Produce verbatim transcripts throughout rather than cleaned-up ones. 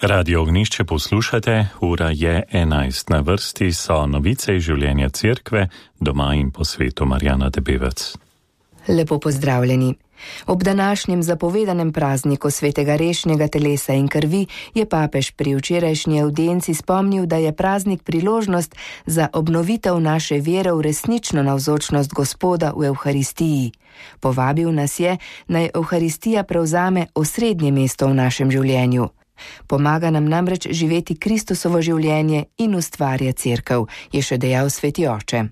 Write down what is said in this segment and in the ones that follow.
Radio Ognišče poslušate, ura je enajst, na vrsti so novice iz življenja cerkve, doma in po svetu. Marjana Debevec. Lepo pozdravljeni. Ob današnjem zapovedanem prazniku svetega rešnjega telesa in krvi je papež pri včerajšnji avdienci spomnil, da je praznik priložnost za obnovitev naše vere v resnično navzočnost Gospoda v Evharistiji. Povabil nas je, naj Evharistija prevzame osrednje mesto v našem življenju. Pomaga nam namreč živeti Kristusovo življenje in ustvarja cerkev, je še dejal sveti oče.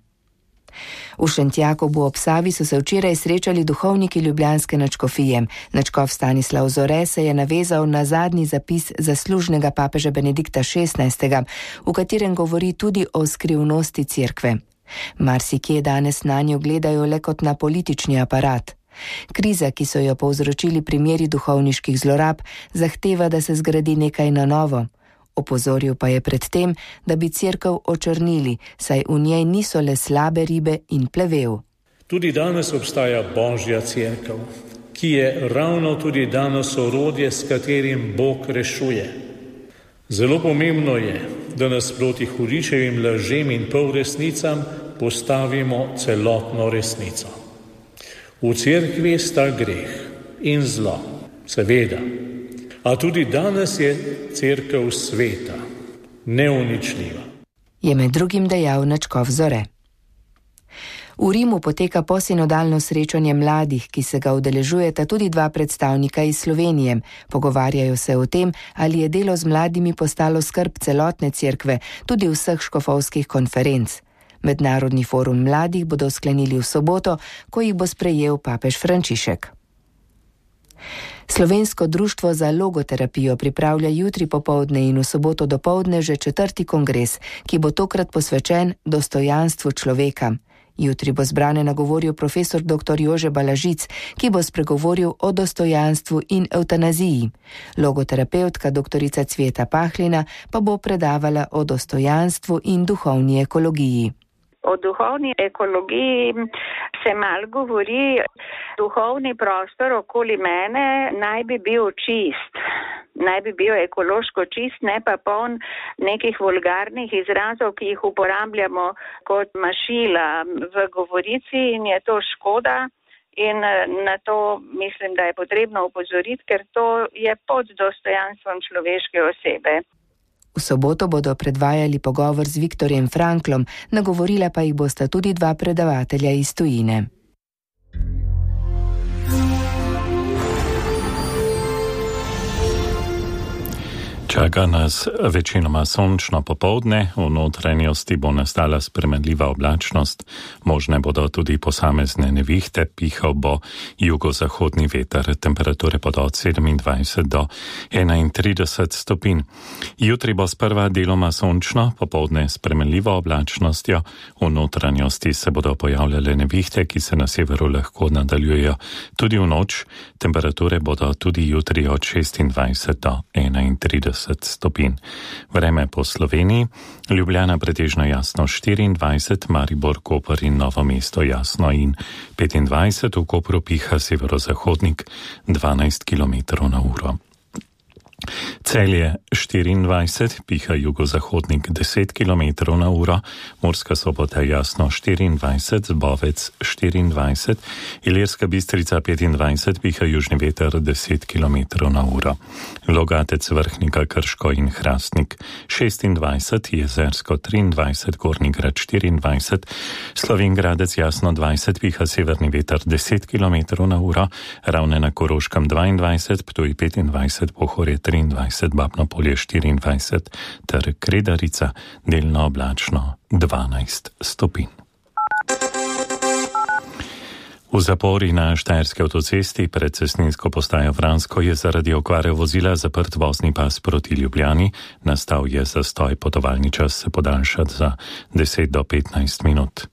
V Šentjakobu ob Savi so se včeraj srečali duhovniki ljubljanske nadškofije. Nadškof Stanislav Zore se je navezal na zadnji zapis zaslužnega papeža Benedikta šestnajstega, v katerem govori tudi o skrivnosti cerkve. Marsikje danes nanjo gledajo le kot na politični aparat. Kriza, ki so jo povzročili primeri duhovniških zlorab, zahteva, da se zgradi nekaj na novo. Opozoril pa je pred tem, da bi cerkev očrnili, saj v njej niso le slabe ribe in plevel. Tudi danes obstaja Božja cerkev, ki je ravno tudi danes orodje, s katerim Bog rešuje. Zelo pomembno je, da nas proti hudičevim lažem in polresnicam postavimo celotno resnico. V cerkvi sta greh in zlo, seveda. A tudi danes je cerkev sveta, neuničljiva. Je med drugim dejal nadškof Zore. V Rimu poteka posinodalno srečanje mladih, ki se ga udeležujeta tudi dva predstavnika iz Slovenije. Pogovarjajo se o tem, ali je delo z mladimi postalo skrb celotne cerkve, tudi vseh škofovskih konferenc. Mednarodni forum mladih bodo sklenili v soboto, ko jih bo sprejel papež Frančišek. Slovensko društvo za logoterapijo pripravlja jutri popoldne in v soboto dopoldne že četrti kongres, ki bo tokrat posvečen dostojanstvu človeka. Jutri bo zbrane nagovoril profesor doktor Jože Balažic, ki bo spregovoril o dostojanstvu in evtanaziji. Logoterapeutka doktorica Cveta Pahlina pa bo predavala o dostojanstvu in duhovni ekologiji. O duhovni ekologiji se malo govori, duhovni prostor okoli mene naj bi bil čist, naj bi bil ekološko čist, ne pa poln nekih vulgarnih izrazov, ki jih uporabljamo kot mašila v govorici in je to škoda in na to mislim, da je potrebno upozoriti, ker to je pod dostojanstvom človeške osebe. V soboto bodo predvajali pogovor z Viktorjem Franklom, nagovorila pa jih bosta tudi dva predavatelja iz tujine. Čaka nas večinoma sončno popoldne, v notranjosti bo nastala spremenljiva oblačnost, možne bodo tudi posamezne nevihte, pihal bo jugozahodni veter, temperature bodo od sedemindvajset do enaintrideset stopinj. Jutri bo sprva deloma sončno, popoldne s spremenljivo oblačnostjo, v notranjosti se bodo pojavljale nevihte, ki se na severu lahko nadaljujejo tudi v noč, temperature bodo tudi jutri od šestindvajset do enaintrideset stopinj. Vreme po Sloveniji, Ljubljana pretežno jasno štiriindvajset, Maribor, Koper in Novo mesto jasno in petindvajset, v Kopru piha severozahodnik dvanajst kilometrov na uro. Celje štiriindvajset, piha jugozahodnik deset kilometrov na uro, Murska Sobota jasno štiriindvajset, Zbovec štiriindvajset, Ilirska Bistrica petindvajset, piha južni veter deset kilometrov na uro. Logatec, Vrhnika, Krško in Hrastnik šestindvajset, Jezersko triindvajset, Gornji Grad štiriindvajset, Slovenj Gradec jasno dvajset, piha severni veter deset kilometrov na uro, Ravne na Koroškem dvaindvajset, Ptuj petindvajset, Pohorje triindvajset, Babno Polje štiriindvajset ter Kredarica delno oblačno dvanajst stopinj. V zapori na Štajerski avtocesti pred cestninsko postajo Vransko je zaradi okvare vozila zaprt vozni pas proti Ljubljani. Nastal je zastoj, potovalni čas se podaljša za deset do petnajst minut.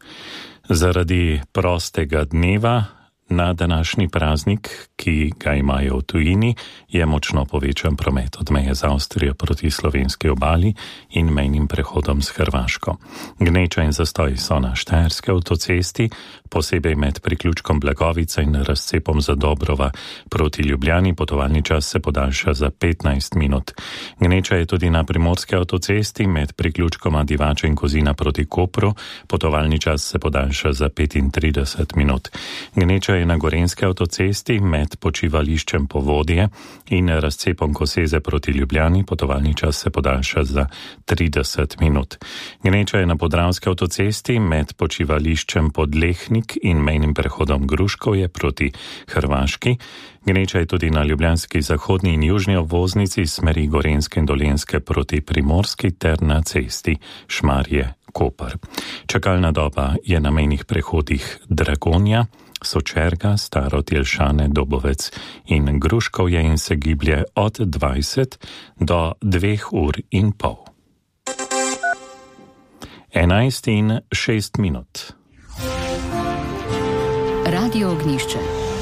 Zaradi prostega dneva na današnji praznik, ki ga imajo v tujini, je močno povečan promet od meje z Avstrijo proti slovenski obali in mejnim prehodom s Hrvaško. Gneča in zastoj so na štajerski avtocesti, posebej med priključkom Blagovica in razcepom Zadobrova proti Ljubljani. Potovalni čas se podaljša za petnajst minut. Gneča je tudi na primorski avtocesti med priključkoma Divača in Kozina proti Kopru. Potovalni čas se podaljša za petintrideset minut. Gneča je na gorenski avtocesti med počivališčem Povodje in razcepom Koseze proti Ljubljani. Potovalni čas se podaljša za trideset minut. Gneča je na podravski avtocesti med počivališčem Podlehnik in mejnim prehodom Gruškovje proti Hrvaški. Gneča je tudi na ljubljanski zahodni in južni obvoznici smeri Gorenske in Dolenjske proti Primorski ter na cesti Šmarje-Koper. Čakalna doba je na mejnih prehodih Dragonja, Sočerga, Staro, Tjelšane, Dobovec in Gruškovje in se giblje od dvajset do dveh ur in pol. Enajst in šest minut. Radio Ognjišče.